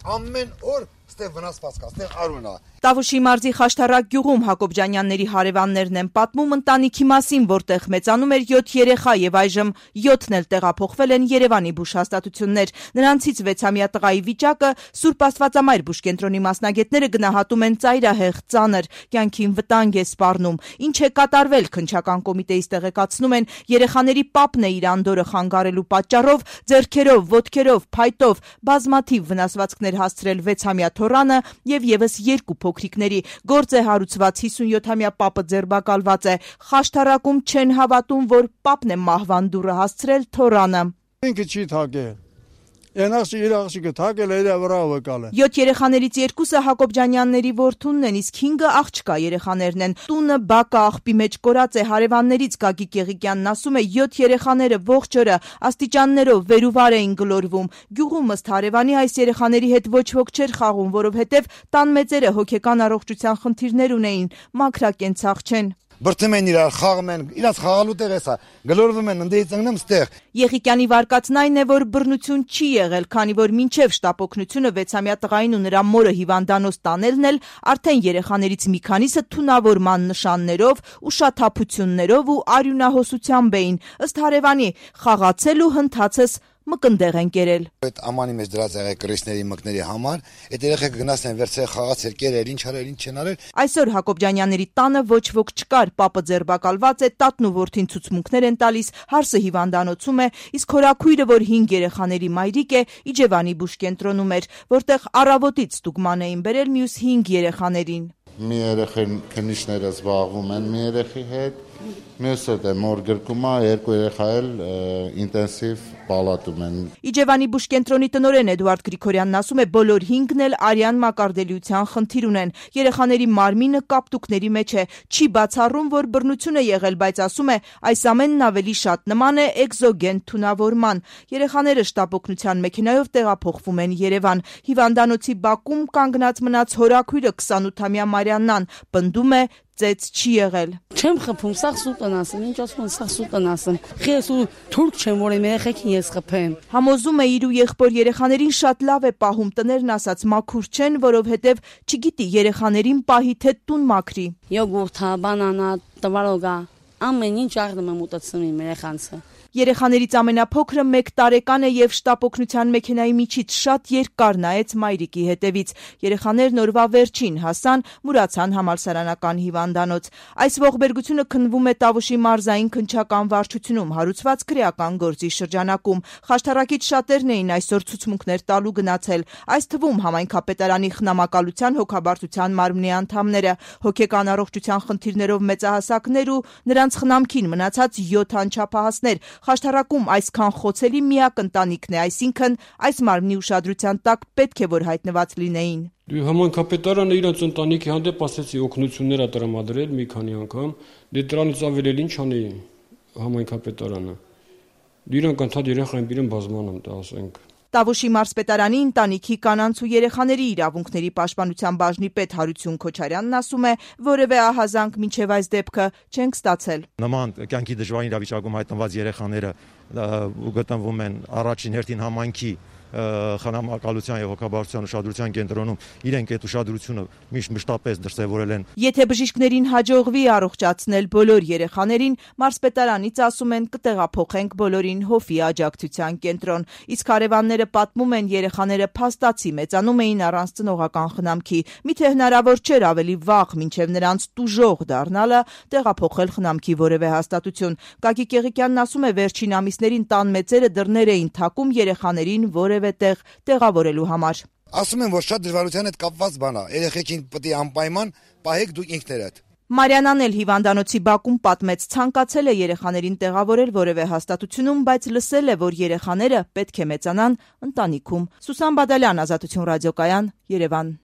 Ամեն օր ստեղ վնասված կա, ստեղ արուն է։ Տավուշի մարզի Խաշտարակ գյուղում Հակոբյանյանների հարևաններն են պատմում ընտանիքի մասին, որտեղ մեծանում էր 7 երեխա եւ այժմ 7-ն էլ տեղափոխվել են Երևանի բուժհաստատություններ։ Նրանցից 6-ամյա տղայի վիճակը Սուրբ Աստվածամայր բուժկենտրոնի մասնագետները գնահատում են ծայրահեղ, ծանր, կյանքին վտանգ է սպառնում։ Ինչ է կատարվել, քննչական կոմիտեից տեղեկացնում են, երեխաների պապն է իր անդորը խանգարելու պատճառով ձեռքերով, ոտքերով, փայտով բազմաթիվ վնասվածքներ հասցրել 6-ամյա Թորանը եւ եւս 2 փոքրիկների։ Գործ է հարուցված 57-ամյա պապը ձերբակալված է։ Խաշտարակում չեն հավատում, որ պապն է մահվան դուռը հասցրել Թորանը։ Ինքը չի թակել։ Ենախշի իր աղջիկը թակել է վրա վկալը։ 7 երեխաներից 2-ը Հակոբյանյանների որդունն են, իսկ 5-ը աղջկա երեխաներն են։ Տունը բակը աղբի մեջ կորած է։ Հարևաններից Գագիկ Եղիկյանն ասում է, 7 երեխաները ողջ օրը աստիճաններով վերուվար էին գլորվում։ Գյուղում ըստ հարևանի այս երեխաների հետ ոչ ոք չէր խաղում, որովհետև տան մեծերը հոգեկան առողջության խնդիրներ ունեին, մաքրակենցաղ չեն։ Բրծում են իրար, խաղում են, իրանց խաղալու տեղ է սա, գլորվում են, ընդդեից ընկնում ստեղ։ Եղիկյանի վարկածն այն է, որ բռնություն չի եղել, քանի որ մինչև շտապօգնությունը 6-ամյա տղային ու նրա մորը հիվանդանոց տանելն էլ արդեն երեխաներից մի քանիսը թունավորման նշաններով, ուշաթափություններով ու արյունահոսությամբ էին։ Ըստ հարևանի, խաղացել ու հնդացս մկնդեղ են կերել։ Այդ ամանի մեջ դրած եղել կրիսների մկների համար, այդ երեխեքը գնացել են վերցրել խաղացել, կերել, ինչ արել, ինչ չեն արել։ Այսօր Հակոբյանյանների տանը ոչ ոք չկար, պապը ձերբակալված է, տատն ու որդին ցուցմունքներ են տալիս, հարսը հիվանդանոցում է, իսկ հորաքույրը, որ 5 երեխաների մայրիկ է, Իջևանի բուժկենտրոնում էր, որտեղ առավոտից ստուգման էին բերել մյուս 5 երեխաներին։ Մի երեխան քննիչները զբաղվում են մի երեխի հետ, մյուսը դե մոր գրկում է, 2 երեխա էլ ինտենսիվ պալատում են։ Իջևանի բուժկենտրոնի տնօրեն Էդուարդ Գրիգորյանն ասում է, բոլոր 5-ն էլ արյան մակարդելիության խնդիր ունեն։ Երեխաների մարմինը կապտուկների մեջ է, չի բացառում, որ բռնություն է եղել, բայց ասում է, այս ամենն ավելի շատ նման է էկզոգեն թունավորման։ Երեխաները շտապօգնության մեքենայով տեղափոխվում են Երևան։ Հիվանդանոցի բակում կանգնած մնաց հորաքույրը 28-ամյա Մարիաննան, պնդում է, ծեծ չի եղել։ Չեմ խփում, սա սուտն ասեմ, ինչ ասում են, սա սուտն ասեմ։ Ես ու թուրք չեմ, որ իմ երեխեքին ես խփեմ։ Համոզում է իր ու եղբոր երեխաներին շատ լավ է պահում, տներն ասած մաքուր չեն, որովհետև չգիտի երեխաներին պահի թե տուն մաքրի։ Յոգուրտա, բանանա, տվարոգա, ամեն ինչ աղդում եմ ուտացնում իմ երեխանցը։ Երեխաներից ամենափոքրը 1 տարեկան է եւ շտապօգնության մեքենայի միջից շատ երկար նայեց մայրիկի հետևից։ Երեխաներն օրվա վերջին հասան, մուրացան համալսարանական հիվանդանոց։ Այս ողբերգությունը քննվում է Տավուշի մարզային քննչական վարչությունում հարուցված քրեական գործի շրջանակում։ Խաշտարակից շատերն էին այսօր ցուցմունքներ տալու գնացել, այս թվում համայնքապետարանի խնամակալության հոգաբարձության մարմնի անդամները, հոգեկան առողջության խնդիրներով մեծահասակներ ու նրանց խնամքին մնացած 7 անչափահասներ։ Խաշտարակում այսքան խոցելի միակ ընտանիքն է, այսինքն այս մարմնի ուշադրության տակ պետք է որ հայտնված լինեին։ Համայնքապետարանը իրենց ընտանիքի հանդեպ ասեցի օգնություններ է տրամադրել մի քանի անգամ, դե դրանից ավել էլ ինչ անի համայնքապետարանը։ Իրանք ընդհանուր երեխային բերեն բազմանում, դա ասենք։ Տավուշի մարզպետարանի ընտանիքի կանանց ու երեխաների իրավունքների պաշտպանության բաժնի պետ Հարություն Քոչարյանն ասում է, որևէ ահազանգ մինչև այս դեպքը չենք ստացել։ Նման կյանքի դժվարին իրավիճակում հայտնված երեխաները գտնվում են առաջին հերթին համայնքի խնամակալության եւ հոգաբարձության ուշադրության կենտրոնում, իրենք այդ ուշադրությունը մշտապես դրսևորել են։ Եթե բժիշկներին հաջողվի առողջացնել բոլոր երեխաներին, մարզպետարանից ասում են կտեղափոխենք բոլորին Հովի աջակցության կենտրոն։ Իսկ հարևանները պատմում են, երեխաները փաստացի մեծանում էին առանց ծնողական խնամքի։ Միթե հնարավոր չէր ավելի վաղ, մինչև նրանց տուժող դառնալը, տեղափոխել խնամքի որևէ հաստատություն։ Գագիկ Եղիկյանն ասում է, վերջին ամիսներին տան մեծերը դռներ էին թակում երեխաներին որևէ տեղ տեղավորելու համար։ Ասում են, որ շատ դժվարության հետ կապված բան է, երեխեքին պետք է անպայման պահեք դուք ինքներդ։ Մարիանան էլ հիվանդանոցի բակում պատմեց, ցանկացել է երեխաներին տեղավորել որևէ հաստատությունում, բայց լսել է, որ երեխաները պետք է մեծանան ընտանիքում։ Սուսան Բադալյան, Ազատություն ռադիոկայան, Երևան։